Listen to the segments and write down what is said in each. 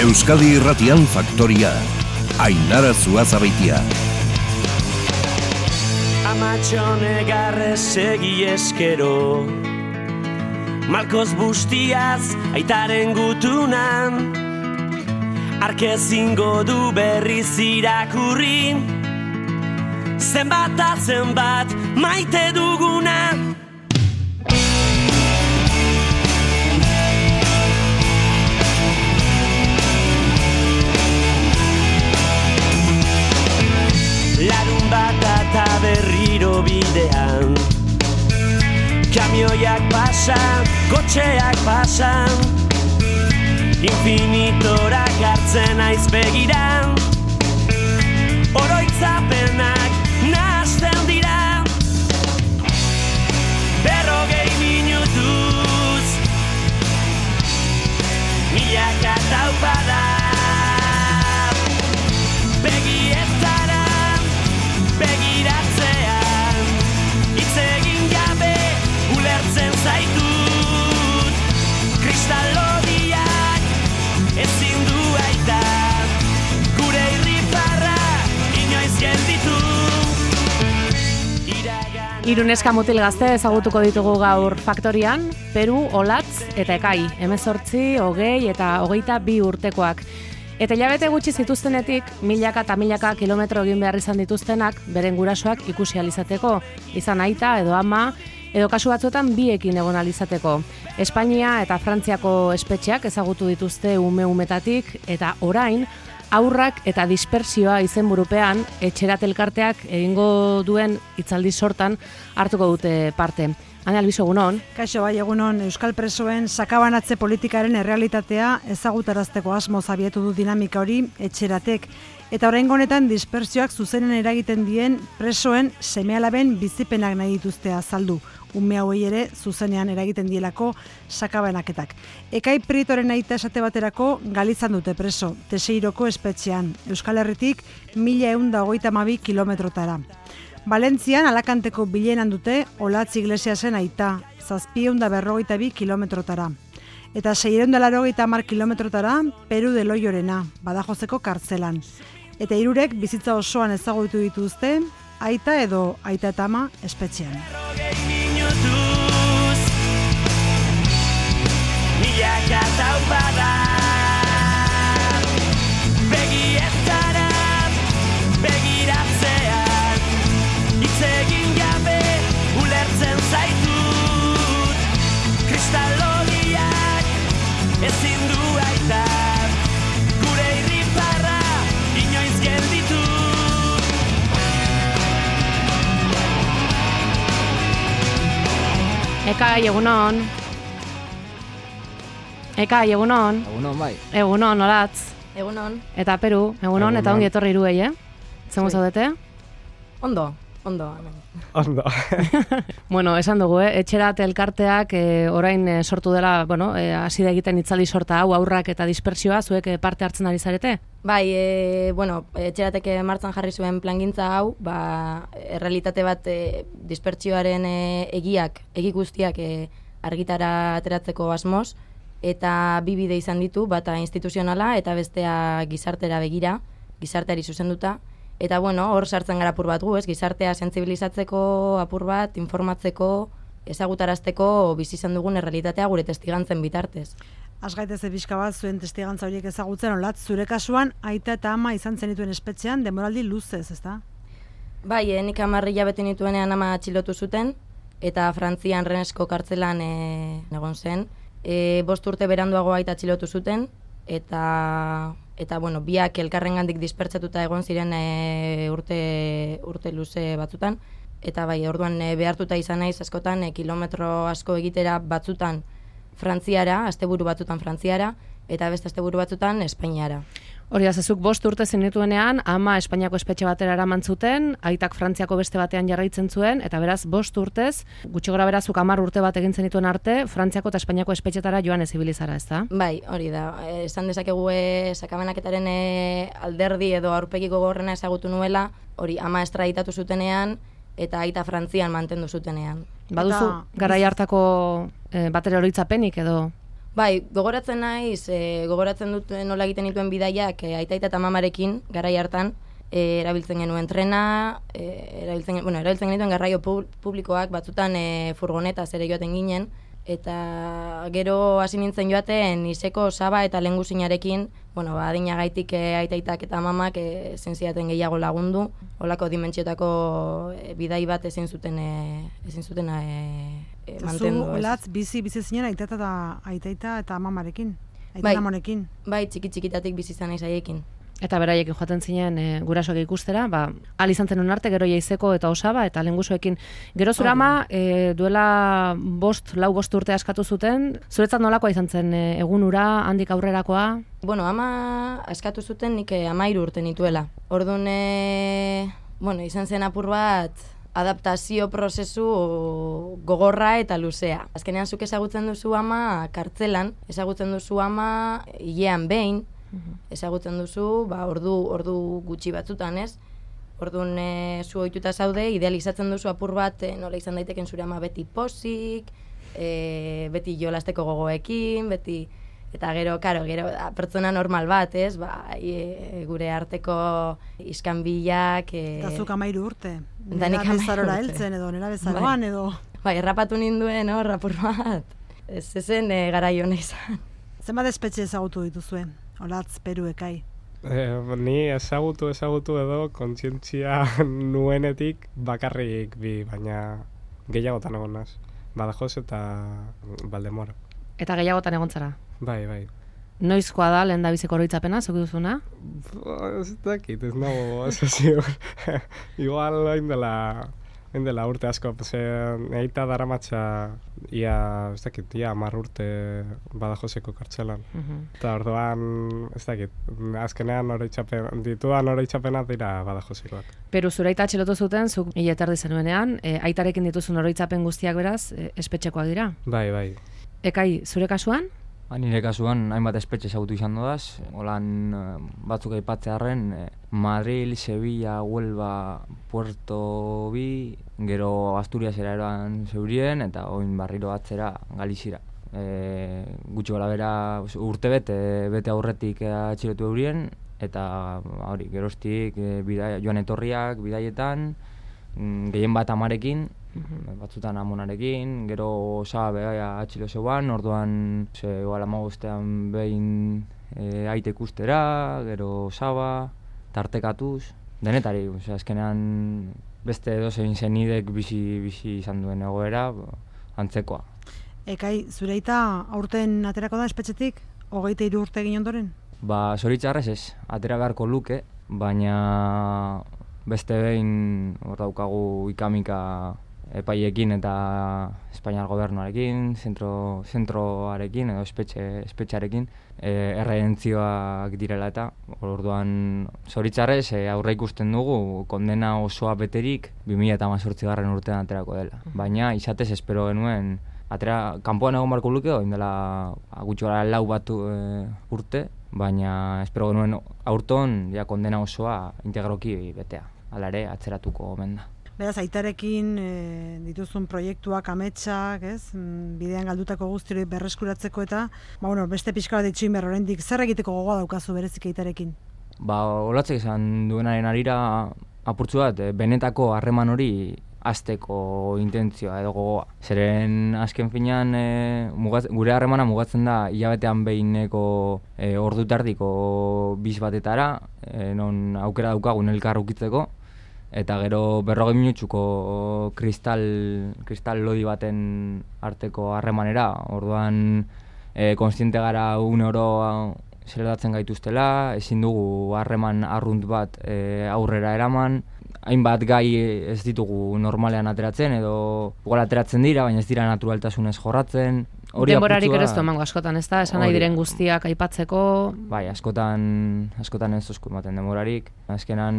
Euskadi Irratian Faktoria, Ainara Zuazabeitia. Amatxone garrez segi eskero, Malkoz bustiaz aitaren gutunan, Arkezingo du berriz irakurri, Zenbat a zenbat maite duguna. Larun bat eta berriro bidean, kamioiak pasan, kotxeak pasan, Infinitorak hartzen aiz begiran, oroitzapenak nahasten dira. 40 minutuz, milaka taupada, begietara, begiratzean, hitz egin gabe ulertzen zaitut, kristalodiak ezin du aita, gure irriparra inoiz gelditu. Hiruneska mutil gazte ezagutuko ditugu gaur Faktorian, Peru, Olatz eta Ekai, 18, 20 eta 22 urtekoak. Eta hilabete gutxi zituztenetik, milaka eta milaka kilometro egin behar izan dituztenak, beren gurasoak ikusi alizateko, izan aita edo ama, edo kasu batzuetan biekin egon alizateko. Espainia eta Frantziako espetxeak ezagutu dituzte ume-umetatik, eta orain, aurrak eta dispersioa izenburupean, etxerat elkarteak egingo duen hitzaldi sortan hartuko dute parte. Ane Albizu, egunon? Kaixo, bai, egunon, Euskal presoen sakabanatze politikaren errealitatea ezagutarazteko asmoz abietu du dinamika hori etxeratek. Eta oraingo honetan dispersioak zuzenen eragiten dien presoen seme-alaben bizipenak nahi dituzte azaldu. Ume hauei ere zuzenean eragiten dielako sakabanaketak. Ekai Prietoren aita esate baterako Galizan dute preso, Teseiroko espetxean, Euskal Herritik 1122 kilometrotara. Valentzian Alakanteko bilenan dute Olatz Iglesiasen aita, 752 kilometrotara. Eta 680 kilometrotara Peru de Loiorena, Badajozeko kartzelan. Eta hirurek bizitza osoan ezagutu dituzte, aita edo aita eta ama espetxean. Begietara, begiratzean, hitz egin gabe ulertzen zaitut, kristalodiak ezin du aita, gure irriparra inoiz gelditu. Ekai, egunon. Ekai, egunon. Egunon, bai. Egunon, Olatz. Egunon. Eta Peru, egunon. Eta ongi etorri Iruei, Zengo zaudete? Ondo. Ondo. Bueno, esan dugu, etxerat elkarteak orain sortu dela, hasi da egiten hitzaldi sorta hau, aurrak eta dispersioa, zuek parte hartzen ari zarete? Bai, etxeratek martzan jarri zuen plangintza hau, errealitate bat dispertsioaren egi guztiak argitara ateratzeko asmoz, eta bi bide izan ditu, bata instituzionala eta bestea gizartera begira, gizarteari zuzenduta. Eta hor sartzen gara apur bat gu, gizartea sentsibilizatzeko apur bat, informatzeko, ezagutarazteko bizi izan dugun errealitatea gure testigantzen bitartez. Azgaitez pixka bat zuen testigantza horiek ezagutzen, Olatz, zure kasuan aita eta ama izan zenituen espetxean denboraldi luzez, ezta? Bai, nik 10 hilabete nituenean ama atxilotu zuten, eta Frantzian Rennesko kartzelan egon zen. 5 urte beranduago aita atxilotu zuten, eta biak elkarrengandik dispertsatuta egon ziren urte luze batzutan, eta bai, orduan behartuta izan naiz askotan kilometro asko egitera batzutan Frantziara, asteburu batzutan Frantziara, eta beste asteburu batzutan Espainiara. Hori azazuk 5 urte zenituenean, ama Espainiako espetxe batera eraman zuten, aitak Frantziako beste batean jarraitzen zuen, eta beraz 5 urtez, gutxi gora berazuk 10 urte bat egin zenituen arte, Frantziako eta Espainiako espetxetara joan ez ibilizara, ezta? Bai, hori da. Esan dezakegu sakabanaketaren alderdi edo aurpegi gogorrena ezagutu nuela, hori ama estraditatu zutenean, eta aita Frantzian mantendu zutenean. Baduzu garai hartako batere oroitzapenik edo? Bai, gogoratzen naiz, gogoratzen dut nola egiten dituen bidaiak aita eta mamarekin, garai hartan, erabiltzen genuen trena, erabiltzen genituen garraio publikoak, batzutan furgonetaz ere joaten ginen, eta gero hasi nintzen joaten izeko Saba eta Lehengusinarekin, adinagaitik aitaitak eta mamak ezin zidaten gehiago lagundu, holako dimentsiotako bidai bat ezin zuten mantendu. Zu, Olatz, bizi zinen aitaita eta mamarekin, amonekin. Bai, txikitatik bizi izan naiz haiekin. Eta beraiekin joaten zinen gurasoak ikustera, ahal izan zen honarte gero Jaizeko eta Osaba eta Lehengusuekin. Gero zure ama duela 5 urte askatu zuten, zuretzat nolakoa izan zen egun ura, handik aurrerakoa? Ama askatu zuten nik 13 urte nituela. Orduan, izan zen apur bat adaptazio prozesu gogorra eta luzea. Azkenean zuk ezagutzen duzu ama kartzelan, ezagutzen duzu ama hilean behin, ezagutzen duzu, ordu gutxi batzutan, ez? Orduan zu ohituta zaude, idealizatzen duzu apur bat, nola izan daiteken zure ama beti pozik, beti jolasteko gogoekin, beti... Eta gero pertsona normal bat, ez? Gure arteko iskanbilak... Eta zuk 13 urte. Nera bezarora heltzen edo, nera bezaroan edo... Bai, errapatu ninduen hor, apur bat. Ez zen garai hona izan. Zenbat espetxe ezagutu dituzue? Olatz, Peru, Ekai. Ni ezagutu edo kontzientzia nuenetik bakarrik bi, baina gehiagotan egon naz. Badajoz eta Valdemoro. Eta gehiagotan egon zara? Bai. Noizkoa da lehen da biziko oroitzapena, zuk duzuna? Ez dakit, ez nago, ez ziur. Igual hain dela urte asko, eita daramatxa ia 10 urte Badajoseko kartzelan. Eta orduan, ez dakit, azkenean ditudan oroitzapena dira Badajosekoak. Peru, zure aita atxilotu zuten, zuk 1 erdi zenuenean, aitarekin dituzun oroitzapen guztiak beraz, espetxekoak dira? Bai. Ekai, zure kasuan? Nire kasuan, hainbat espetxe ezagutu izan dodaz, holan batzuk aipatzearren, Madril, Sevilla, Huelva, Puerto Bi, gero Asturiasera eroan zeurien, eta oin barriro atzera Galizira. Gutxi gola bera urte bete aurretik atxilotu eurien, eta geroztik joan etorriak, bidaietan, gehien bat amarekin, batzutan amonarekin, gero Saba atxilo zeuan, orduan igual 15 behin aite ikustera, gero Saba, tartekatuz, denetari, azkenean beste edozein zenidek bizi izan duen egoera, antzekoa. Ekai, zure aita aurten aterako da espetxetik, 23 urte egin ondoren? Zoritxarrez ez, atera beharko luke, baina beste behin hor daukagu ikamika epaiekin eta Espainiar gobernuarekin, zentroarekin edo espetxearekin erredentzioak direla eta orduan zoritzarrez aurre ikusten dugu kondena osoa beterik 2018 urtean aterako dela. Baina izatez espero genuen kanpoan egon barko luke oin dela gutxi gara 4 urte, baina espero genuen aurton kondena osoa integroki betea, hala ere atzeratuko omen da. Beraz, aitarekin dituzun proiektuak, ametsak, bidean galdutako guztiri berreskuratzeko eta, beste pixka bat ditxuin behar oraindik zer egiteko gogoa daukazu berezik aitarekin? Olatzek izan duenaren arira apurtzu bat, benetako harreman hori hasteko intentzioa edo gogoa. Zeren azken finean gure harremana mugatzen da hilabetean behineko ordu tardiko biz batetara, non aukera daukagun elkar ukitzeko, eta gero 40 minutsuko kristal lodi baten arteko harremanera, orduan kontziente gara oro zeleratzen gaituztela, ezin dugu harreman arrunt bat aurrera eraman, hainbat gai ez ditugu normalean ateratzen edo igual ateratzen dira, baina ez dira naturaltasunez jorratzen. Denborarik ere ez du emango askotan, ez da? Esan nahi diren guztiak aipatzeko... Bai, askotan ez duzku ematen denborarik. Azkenan,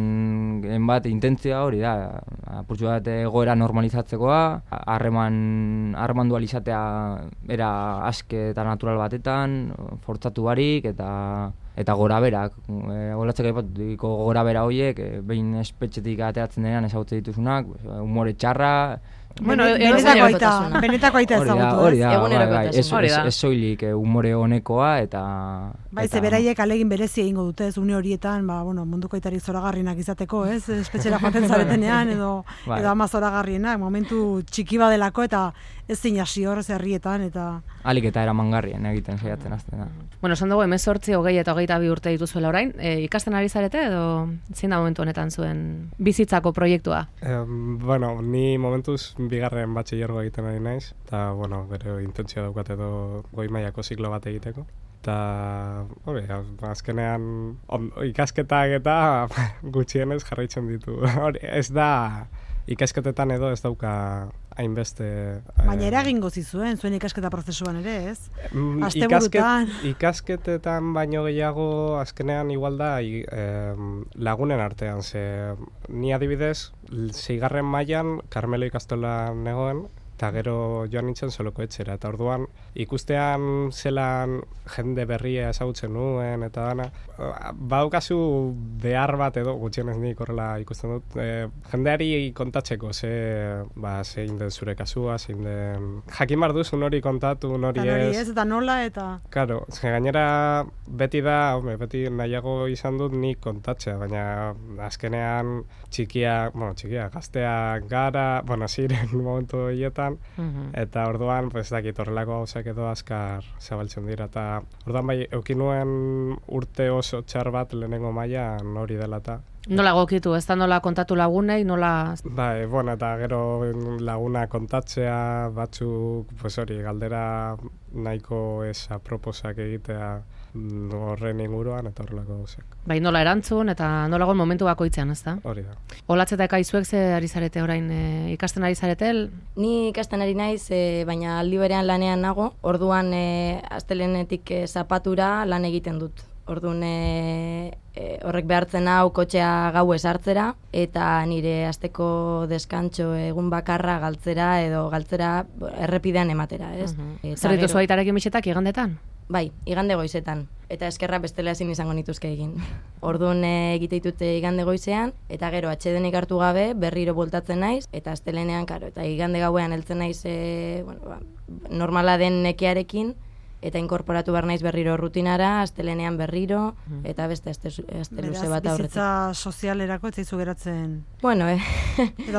bat intentzia hori da, apurtxu bat egoera normalizatzekoa, harreman dualizatea era aske eta natural batetan, fortzatu barik eta gora berak. Olatzek aipatutiko gora bera horiek, behin espetxetik ateratzen denean ezagutze dituzunak, humore txarra, Bueno, benetako aita ezagutu. Hori da, Egunerokotasuna. ez soilik umore honekoa eta... Bai, ze beraiek alegin berezi egingo dute, une horietan, munduko aitarik zoragarrienak izateko, ez? Espetxera joaten zaretenean, edo ama zoragarrienak, momentu txiki badelako, eta ez zin hasi hor, herrietan, eta... Alik eta eramangarrien egiten saiatzen azten da. Bueno, esan dugu, 18, 20 eta 22 urte dituzuela orain, ikasten ari zarete, edo zein da momentu honetan zuen bizitzako proiektua? Bueno, ni momentuz bigarren batxillergo egiten ari naiz, eta, bere intentzio daukat edo goi mailako ziklo bat egiteko. Eta, azkenean ikasketak eta gutxienez jarraitzen ditu. Ez da, ikasketetan edo ez dauka hainbeste... Baina eragingo zizuen, zuen ikasketa prozesuan ere, ez? Asteburutan... Ikasketetan baino gehiago azkenean igual da lagunen artean, ze ni adibidez, 6. mailan Karmelo ikastolan negoen, eta gero joan nintzen Soloko etxera, eta orduan ikustean zelan jende berria ezagutzen nuen, eta dana, badaukazu behar bat edo, gutxienez nik horrela ikusten dut, jendeari kontatzeko, zein den zure kasua, zein den... Jakin behar duzun hori kontatu, hori ez... Eta nola, eta... Claro, gainera beti nahiago izan dut nik kontatzea, baina azkenean txikia, gazteak gara, ziren momentu hietan, eta orduan, dakit horrelako gauzak edo azkar zabaltzen dira, eta orduan bai, eukin nuen urte oso txar bat lehenengo mailan hori dela eta... Nola gokitu, ez da nola kontatu lagunei, nola... Bai, eta gero laguna kontatzea, batzuk, galdera nahiko ez aproposak egitea horren inguruan eta horrelako gauzak. Bai, nola erantzun eta nola gon momentu bakoitzean, ez da? Hori da. Olatz eta Ekaizuek ze ari zarete orain, ikasten ari zarete? Ni ikasten ari naiz, baina aldi berean lanean nago, orduan astelehenetik zapatura lan egiten dut. Orduan horrek behartzen hau kotxea gauez hartzera, eta nire asteko deskantxo egun bakarra galtzera errepidean ematera, ez? Zer dituzu aitarekin bixetak igandetan? Bai, igande goizetan, eta eskerra bestela ezin izango nituzke egin. Orduan egite ditute igande goizean, eta gero atsedenik hartu gabe berriro bueltatzen naiz, eta astelenean, eta igande gauean heltzen naiz normala den nekearekin, eta inkorporatu behar naiz berriro rutinara, astelenean berriro, eta beste aste luze bat aurretik. Bizitza sozialerako ez zaizu geratzen... Bueno,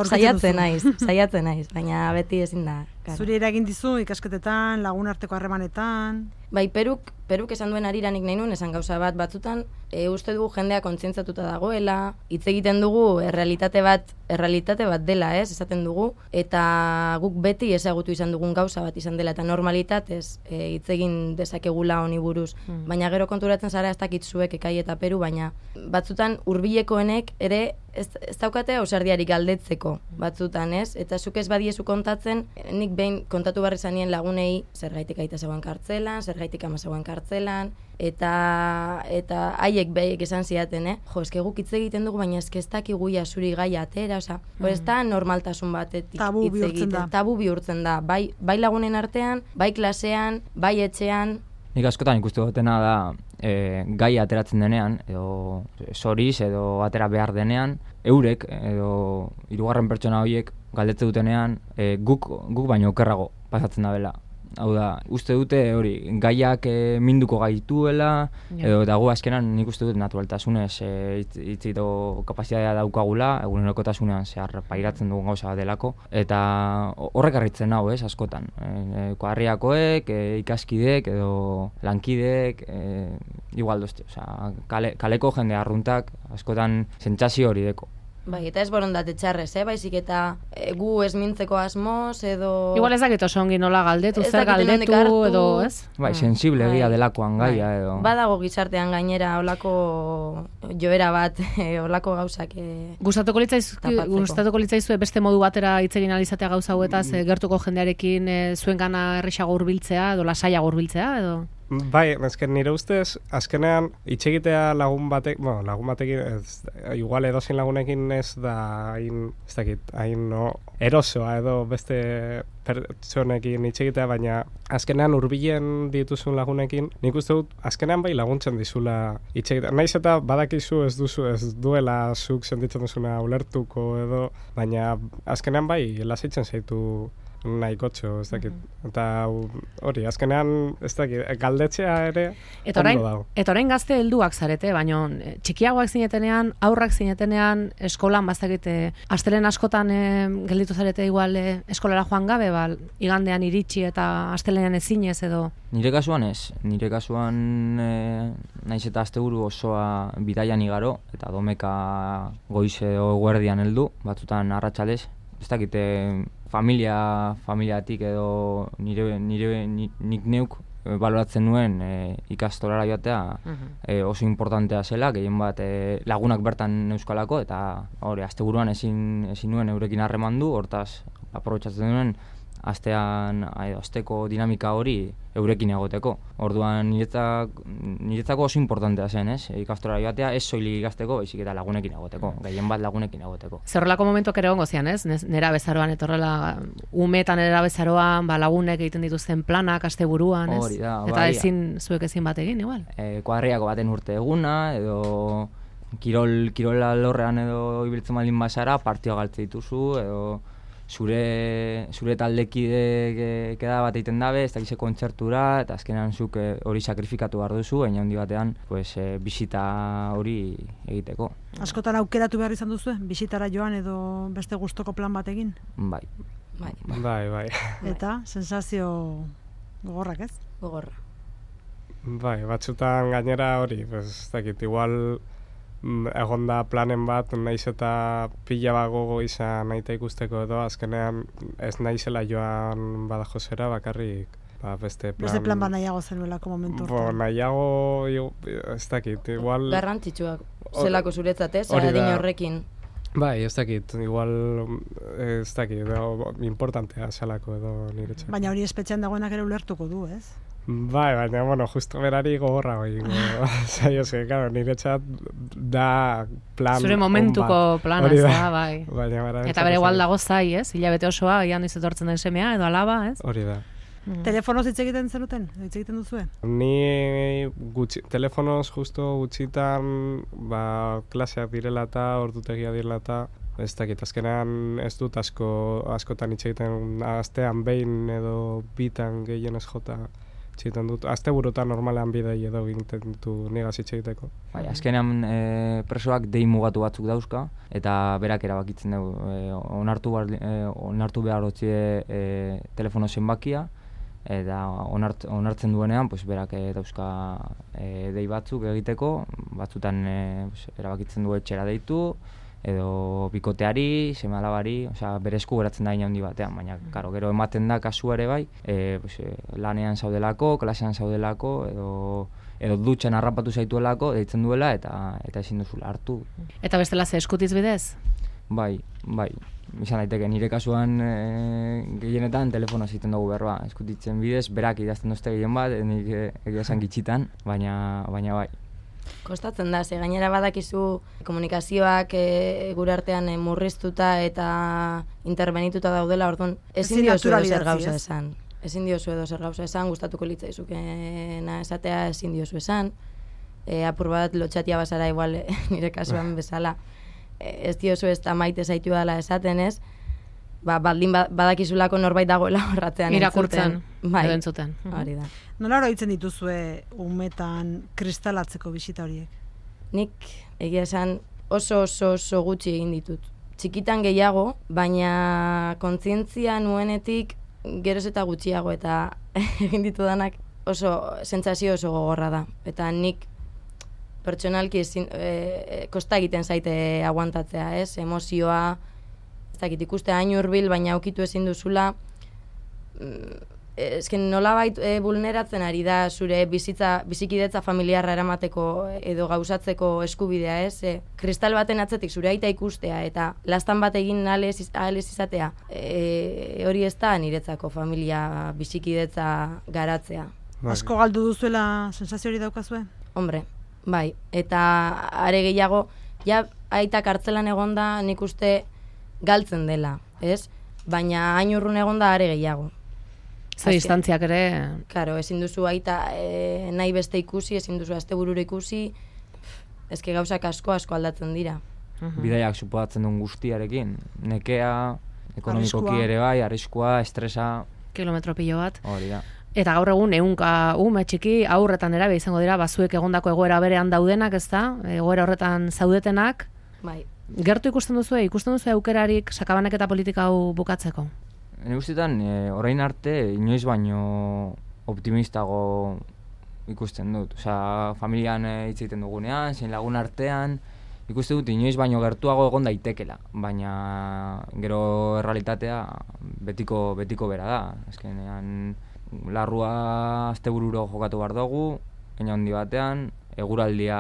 saiatzen naiz, baina beti ezin da. Zuri eragin dizu ikasketetan, lagun arteko harremanetan... Bai, Peruk esan duen ariranik nahi nuen, esan gauza batzutan, uste dugu jendea kontzientzatuta dagoela, hitz egiten dugu errealitate bat dela, ez, esaten dugu, eta guk beti ezagutu izan dugun gauza bat izan dela, eta normalitatez hitz egin dezakegula honi buruz. Baina gero konturatzen zara ez dakit zuek Ekai eta Peru, baina batzutan hurbilekoenek ere ez daukate ausardiarik galdetzeko batzutan, ez? Eta zuk ez badiezu kontatzen, nik behin kontatu barri zanien lagunei zergaitik aita zegoen kartzelan, zergaitik ama zegoen kartzelan, eta haiek behiek esan ziaten, jo, eske guk hitz egiten dugu, baina eske ez dakigu zuri gaia atera, osea, ez da normaltasun batetik hitz egiten. Tabu bihurtzen da, bai lagunen artean, bai klasean, bai etxean. Nik askotan ikustu dutena da, gaia ateratzen denean, edo zoriz, edo atera behar denean, eurek, edo hirugarren pertsona horiek galdetze dutenean, guk baino okerrago pasatzen da bela. Hau da, uste dute hori, gaiak minduko gaituela, edo dago azkenan nik uste dut naturaltasunez hitzito kapazitatea daukagula, egunerokotasunean zehar pairatzen dugun gauza delako, eta horrek harritzen hau, askotan. Harriakoek, ikaskideek edo lankideek, igual dozte, kaleko jende arruntak askotan sentsazio hori deko. Bai, eta ez borondate txarrez, baizik eta gu ez mintzeko asmoz, edo... Igual ez dakit oso ongi nola galdetu, zer galdetu, edo, ez? Bai, sensible egia delakoan gaia, edo... Badago gizartean gainera olako joera bat, olako gauzak... Gustatuko litzaizue beste modu batera hitz egin alizatea gauza hauetaz, gertuko jendearekin zuengana errexago hurbiltzea, edo lasaiago hurbiltzea, edo... Bai, azken nire ustez, azkenean itxegitea lagun batekin, igual edozein lagunekin ez da hain erosoa edo beste pertsonekin itxegitea, baina azkenean hurbilen dituzun lagunekin, nik uste dut azkenean bai laguntzen dizula itxegitea. Naiz eta badakizu ez duela zuk sentitzen duzuna ulertuko edo, baina azkenean bai lasaitzen zaitu nahikotxo, ez dakit. Eta hori, azkenean, ez dakit, galdetzea ere ondo dago. Eta orain gazte helduak zarete, baina txikiagoak zinetenean, aurrak zinetenean, eskolan bastakite, astelen askotan gelditu zarete igual eskolara joan gabe, igandean iritsi eta astelenean ezinez edo? Nire kasuan ez. Nire kasuan naiz eta asteburu osoa bidaian igaro, eta domeka goize edo eguerdian heldu, batzutan arratsaldez. Ez dakite familiatik edo nik neuk baloratzen nuen ikastolara joatea oso importantea zela, gehien bat lagunak bertan euskalako, eta hori, asteburuan ezin nuen eurekin harremandu, hortaz aprobetxatzen nuen asteko dinamika hori eurekin egoteko. Orduan niretzako oso importantea zen, ez? Ikastorara joatea ez soilik ikasteko, baizik eta lagunekin egoteko, gehien bat lagunekin egoteko. Zerrelako momentuak ere ongo zian, ez? Nera bezaroan etorrela, umetan nera bezaroan, lagunek egiten dituzten planak asteburuan, ez? Hori da, eta zuek ezin bat egin, igual? Kuadriako baten urte eguna, edo kirola lorrean edo ibiltzen baldin bazara, partioa galtze dituzu, edo zure taldekide keda bat egiten dabe, ez dakize kontzertura, eta azkenean zuk hori sakrifikatu behar duzu, baina handi batean bisita hori egiteko. Askotan aukeratu behar izan duzu, bisitara joan edo beste gustoko plan bat egin? Bai. Eta, sensazio gogorrak, ez? Gogorra. Bai, batzutan gainera hori, ez dakit, igual egon da planen bat, naiz eta pila bat gogo izan nahi ikusteko edo, azkenean ez naizela joan Badajosera, bakarrik beste plan bat nahiago zenuelako momentu hortan. Nahiago, ez dakit, igual... Garrantzitsuak zelako zuretzat, ez? Adin horrekin. Bai, ez dakit, igual, ez dakit, importantea zelako edo niretzat. Baina hori espetxean dagoenak ere ulertuko du, ez? Bai, baina, justo berari gogorra hori. Zaioz, niretzat da plan... Zure momentuko plana, bai. Eta bere igual dago zai, ez? Hilabete osoa, ian izetortzen den semea, edo alaba, ez? Hori da. Telefonoz hitz egiten zenuten? Hitz egiten duzue? Ni telefonoz justo gutxitan klaseak direla eta, ordutegia direla eta, ez dakit, azkenean ez dut askotan hitz egiten, astean behin edo bitan gehienez jota txiten dut. Asteburutan normalean bidei edo egiten ditu nigaz hitz egiteko. Bai, azkenean presoak dei mugatu batzuk dauzka, eta berak erabakitzen dugu. Onartu behar dutzie telefono zenbakia, eta onartzen duenean berak dauzka dei batzuk egiteko, batzutan erabakitzen du etxera deitu, edo bikoteari, seme-alabari, bere esku geratzen da handi batean, baina gero ematen da kasu ere bai, lanean zaudelako, klasean zaudelako, edo dutxan harrapatu zaituelako, deitzen duela, eta ezin duzula hartu. Eta bestela ze eskutiz bidez? Bai, izan daiteke, nire kasuan gehienetan telefonoz egiten dugu berba, eskutitzen bidez, berak idazten duzte gehien bat, nik egia esan gitxitan, baina bai. Kostatzen da, gainera badakizu komunikazioak gure artean murriztuta eta interbenituta daudela, orduan ezin diozu edo zer gauza esan. Ezin diozu edo zer gauza esan, gustatuko litzaizukena esatea ezin diozu esan. Apur bat lotxatia bazara igual nire kasuan bezala. Ez diozu ez da maite zaitu dela esaten ez, baldin badakizulako norbait dagoela horratzean irakurtzen, edo entzuten. Hori da. Nola oroitzen dituzue umetan kristalatzeko bisita horiek? Nik egia esan oso gutxi egin ditut. Txikitan gehiago, baina kontzientzia nuenetik geroz eta gutxiago, eta egin ditudanak sentsazio oso gogorra da. Eta nik pertsonalki kosta egiten zaite aguantatzea, ez? Emozioa, ez dakit ikuste hain hurbil, baina aukitu ezin duzula, nolabait vulneratzen ari da zure bizikidetza familiarra eramateko edo gauzatzeko eskubidea, ez? Kristal baten atzetik zure aita ikustea eta lastan bat egin ahal ez izatea, hori ez da niretzako familia bizikidetza garatzea. Asko galdu duzuela sensazio hori daukazue? Hombre, bai, eta are gehiago, ja aita kartzelan egonda nik uste galtzen dela, ez? Baina hain urrun egonda are gehiago. Ze distantziak ere... Claro, ezin duzu aita nahi beste ikusi, ezin duzu asteburura ikusi, eske gauzak asko aldatzen dira. Bidaiak suposatzen duen guztiarekin, nekea, ekonomikoki ere bai, arriskua, estresa... Kilometro pilo bat. Hori da. Eta gaur egun ehunka ume txiki aurretan erabe izango dira, bazuek egondako egoera berean daudenak, ez da? Egoera horretan zaudetenak. Bai. Gertu ikusten duzu aukerarik sakabanak eta politika hau bukatzeko? Nire guztietan, orain arte, inoiz baino optimistago ikusten dut. Osea, familian hitz egiten dugunean, zein lagun artean, ikusten dut inoiz baino gertuago egon daitekela. Baina gero errealitatea betiko bera da. Azkenean, larrua astebururo jokatu behar dugu, eina handi batean, eguraldia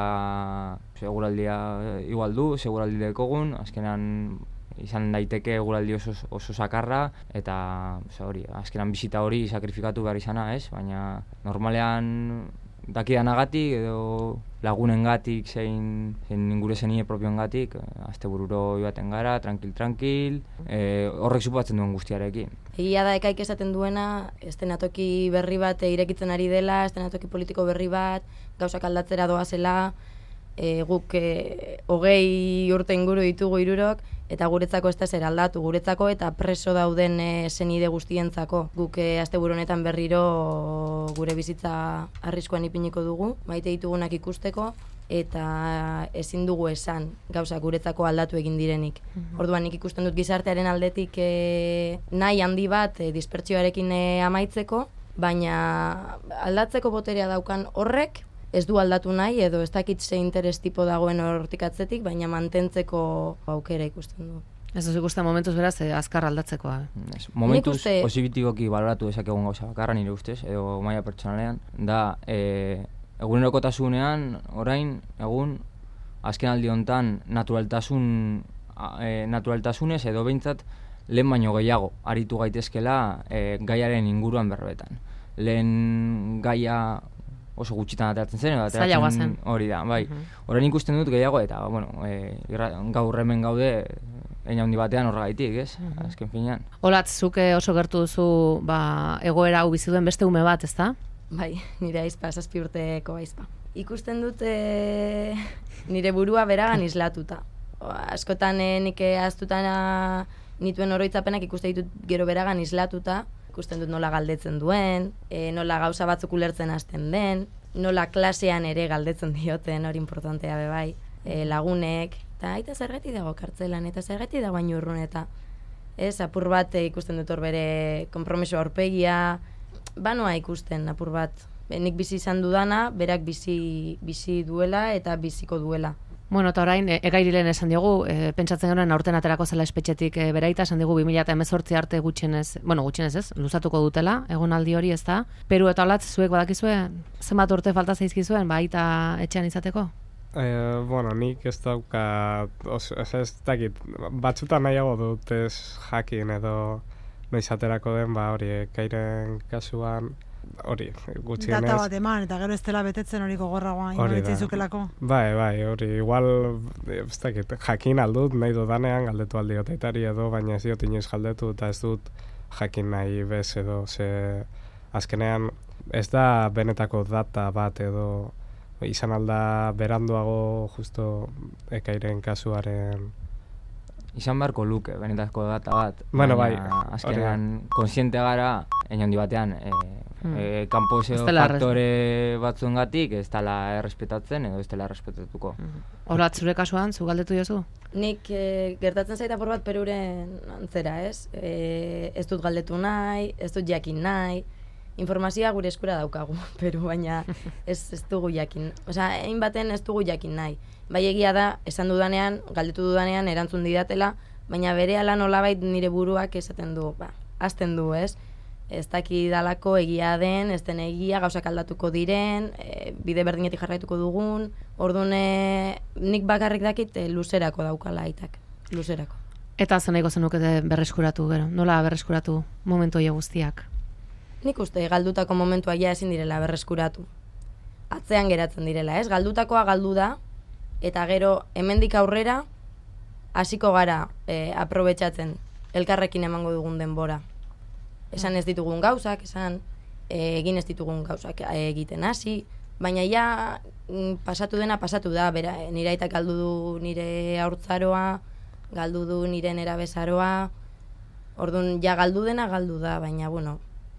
igual du, seguraldi dekogun, azkenean izan daiteke eguraldi oso sakarra, eta hori, azkenan bisita hori sakrifikatu behar izana, ez? Baina normalean dakidanagatik edo lagunengatik zein ingure zenie propioengatik, astebururo joaten gara, tranquil, horrek suposatzen duen guztiarekin. Egia da Ekaik esaten duena, eszenatoki berri bat irekitzen ari dela, eszenatoki politiko berri bat, gauzak aldatzera doazela, guk 20 urte inguru ditugu hirurok, eta guretzako ez da zer aldatu, guretzako eta preso dauden senide guztientzako. Guk asteburu honetan berriro gure bizitza arriskuan ipiniko dugu, maite ditugunak ikusteko, eta ezin dugu esan gauza guretzako aldatu egin direnik. Orduan nik ikusten dut gizartearen aldetik nahi handi bat dispertsioarekin amaitzeko, baina aldatzeko boterea daukan horrek ez du aldatu nahi, edo ez dakit ze interes tipo dagoen hortik atzetik, baina mantentzeko aukera ikusten du. Ez duz ikusten momentuz beraz, azkar aldatzekoa. Momentuz posibitikoki baloratu dezakegun gauza bakarra nire ustez, edo maila pertsonalean, da egunerokotasunean, orain, azken aldi honetan naturaltasunez edo behintzat lehen baino gehiago aritu gaitezkela gaiaren inguruan berbetan. Lehen gaia oso gutxitan ateratzen zen, zailagoa zen. Hori da, bai. Orain ikusten dut gehiago eta, gaur hemen gaude eina handi batean horregaitik, ez? Azken finean. Olatz, zuke oso gertu duzu egoera hau bizi duen beste ume bat, ez da? Bai, nire aizpa, 7 urteko aizpa. Ikusten dut nire burua beragan islatuta. Askotan nik ahaztutan nituen oroitzapenak ikusten ditut gero beragan islatuta, ikusten dut nola galdetzen duen, nola gauza batzuk ulertzen hasten den, nola klasean ere galdetzen dioten, hori importantea bebai, lagunek, eta aita zergatik dago kartzelan, eta zergatik dago hain urrun, eta apur bat ikusten dut hor bere konpromiso aurpegia, banoa ikusten apur bat. Nik bizi izan dudana, berak bizi duela eta biziko duela. Bueno, eta orain, Egairilen esan diogu, pentsatzen genuen aurten aterako zela espetxetik beraita, esan digu 2018 arte gutxienez ez, luzatuko dutela, egonaldi hori ez da. Peru eta Olatz, zuek badakizue, zenbat urte falta zaizkizuen, baita etxean izateko? Nik ez daukat, ez dakit, batzutan nahiago dut ez jakin edo noiz aterako den, hori, Ekairen kasuan, hori, gutxienez. Data bat eman, eta gero ez dela betetzen hori gogorragoa, inolitzizukelako. Bai, hori, igual, ez dakit, jakin aldut, nahi dudanean, galdetu aldiot aitari edo, baina ez diot inoiz galdetu, eta ez dut jakin nahi bez edo, azkenean, ez da benetako data bat edo, izan alda beranduago justo Ekairen kasuaren... Izan beharko luke, benetako data bat. Bueno, bai. Azkenean, konsiente gara, egin handi batean, kanpo faktore batzuengatik ez dela errespetatzen edo ez dela errespetatuko. Olatz, zure kasuan, zu galdetu jozu? Nik gertatzen zaita apur bat Peruren antzera, ez? Ez dut galdetu nahi, ez dut jakin nahi, informazioa gure eskura daukagu, Peru, baina ez dugu jakin. Osea, egin baten ez dugu jakin nahi. Bai egia da, esan dudanean, galdetu dudanean, erantzun didatela, baina berehala nolabait nire buruak esaten du, hasten du, ez? Ez dakidalako egia den, ez den egia, gauzak aldatuko diren, bide berdinetik jarraituko dugun, orduan nik bakarrik dakit luzerako daukala aitak, luzerako. Eta zen nahiko zenukete berreskuratu, gero, nola berreskuratu momentu hori guztiak? Nik uste galdutako momentua ja ezin direla berreskuratu. Atzean geratzen direla, ez? Galdutakoa galdu da, eta gero hemendik aurrera hasiko gara aprobetxatzen elkarrekin emango dugun denbora. Esan ez ditugun gauzak, esan egin ez ditugun gauzak egiten hasi, baina ja pasatu dena pasatu da, bera, nire aitak galdu du nire haurtzaroa, galdu du nire nerabezaroa, orduan ja galdu dena galdu da, baina bueno,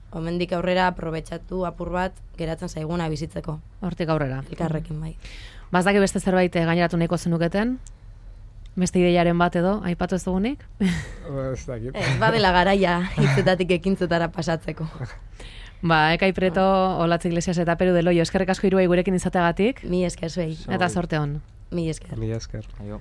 hemendik aurrera aprobetxatu apur bat geratzen zaiguna bizitzeko. Hortik aurrera. Elkarrekin bai. Bazdaki beste zerbait gaineratu nahiko zenuketen? Beste ideiaren bat edo, aipatu ez dugunik? Ez dakit. Badela garaia hitzetatik ekintzetara pasatzeko. Ekai Preto, Olatz Iglesias eta Peru de Loio, eskerrik asko hiruei gurekin izateagatik. Mi esker zuei. Eta sorte on. Mi esker. Mi esker. Aio.